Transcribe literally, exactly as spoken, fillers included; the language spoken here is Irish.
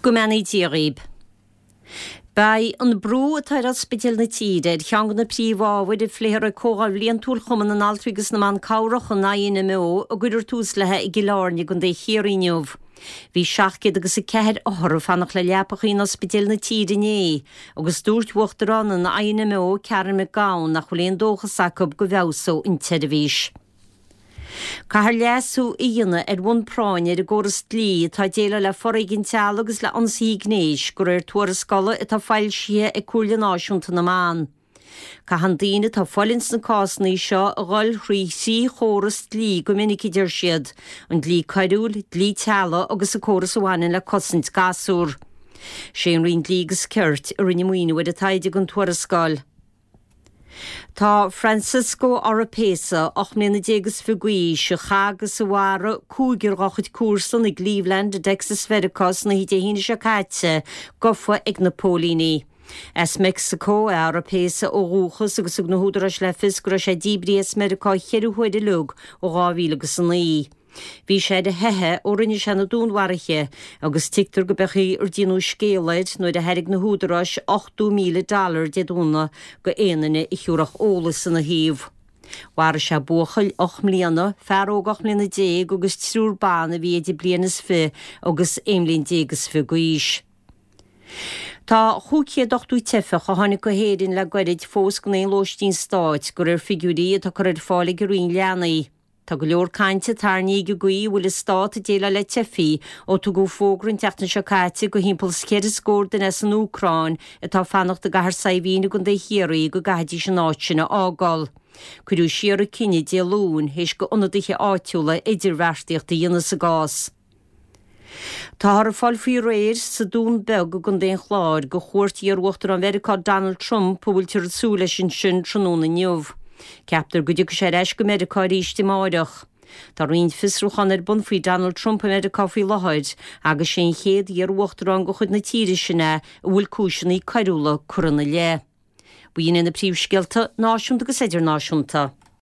Go mbeannaí Dia dhaoib. Beidh an brú atá ar ospidéil na tíre ar cheann de na príomhábhair a phléifear ag Comhdháil Bhliantúil Chumann na nAltraí agus na mBan Cabhrach, an INMO, a gcuirfear tús léi i gCill Airne i gContae Chiarraí inniu. Bhí seacht gcéad agus a ceathair othar ag fanacht le leapacha in ospidéil na tíre inné agus dúirt Uachtarán an INMO, Karen McGowan, nach bhfuil aon dóchas acu go bhfeabhsóidh an tseirbhís. Caithfear leasú a dhéanamh ar bhonn práinne ar an gcóras dlí atá ag déileáil le foréigean teaghlaigh agus le ionsaithe gnéis, de réir tuarascála atá foilsithe ag Comhairle Náisiúnta na mBan. Caitheann daoine atá ag fulaingt sna cásanna seo a dhul thrí thrí chóras dlí go minic, a deir siad, an dlí coiriúil, dlí teaghlaigh agus an córas a bhaineann le cosaint gasúr. Sé an Roinn Dlí agus Cirt a rinne maoiniú ar an taighde don tuarascáil. Tá Francisco Oropesa, ocht mbliana déag is fiche d'aois, a chaith agus a mharaigh cúigear dá chuid comharsan i gCleveland i dTexas Mheiriceá san oíche Dé hAoine seo caite, gafa ag na póilíní. As Meicsiceo é Oropesa ó dhúchas agus thug na húdaráis le fios go raibh sé díbrithe as Meiriceá cheithre huaire uilig ó dhá mhíle agus a naoi. Bhí sé ar a theitheadh ó rinne sé na dúnmharuithe agus tuigtear go b'é an chaoi ar déanadh scéala air nuair a thairg na húdaráis ochtó míle dollar Dé Domhnaigh go aon duine a thiúrfadh eolas ina thaobh. Mharaigh sé buachaill ocht mbliana, fear óg ocht mbliana déag agus triúr ban a bhí idir bliain is fiche agus aon bhliain déag is fiche d'aois. Tá chúig chéad ochtó teifeach a tháinig go hÉirinn le goirid fós gan aon lóistín stáit, de réir figiúirí atá curtha ar fáil ag an Roinn Leanaí. Tá go leor cainte tarraingthe ag an gcaoi a bhfuil an stát ag déileáil le teifigh ó tugadh fógra an tseachtain seo caite go thimpeall is ceithre scór duine as an Úcráin atá ag fanacht i gCathair Saidhbhín i gContae Chiarraí go gcaithfidís an áit sin a fhágáil. Cuireadh siar an cinneadh Dé Luain théis go ionadaithe áitiúla idirbheartaíocht a dhéanamh sa gcás. Táthar ag fáil faoi réir sa Dún Beag i gContae an Chláir go chuairt iar-Uachtarán Mheiriceá Donald Trump a bhfuiltear ag súil leis ansin tráthnóna inniu. Ceaptar go dtiocfaidh sé ar ais go Meiriceá arís amáireach. Tá roinnt fiosrúchán ar bun faoi Donald Trump i Meiriceá faoi láthair agus sé an chéad iar-uachtarán de chuid na tíre sin é a bhfuil cúiseanna coiriúla curtha ina leith. B'in iad na príomhscéalta náisiúnta agus idirnáisiúnta.